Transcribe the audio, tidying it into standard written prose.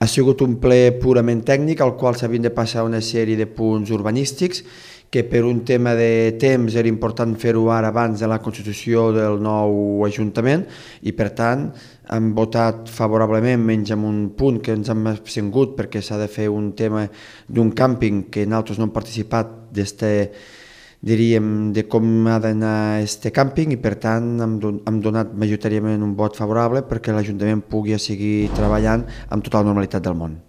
Ha sigut un ple purament tècnic al qual s'havien de passar una sèrie de punts urbanístics que per un tema de temps era important fer-ho ara abans de la constitució del nou Ajuntament i per tant hem votat favorablement menys amb un punt que ens hem abstingut perquè s'ha de fer un tema d'un càmping que nosaltres no hem participat diríem, de com ha d'anar este càmping i per tant hem donat majoritàriament un vot favorable perquè l'Ajuntament pugui seguir treballant amb tota la normalitat del món.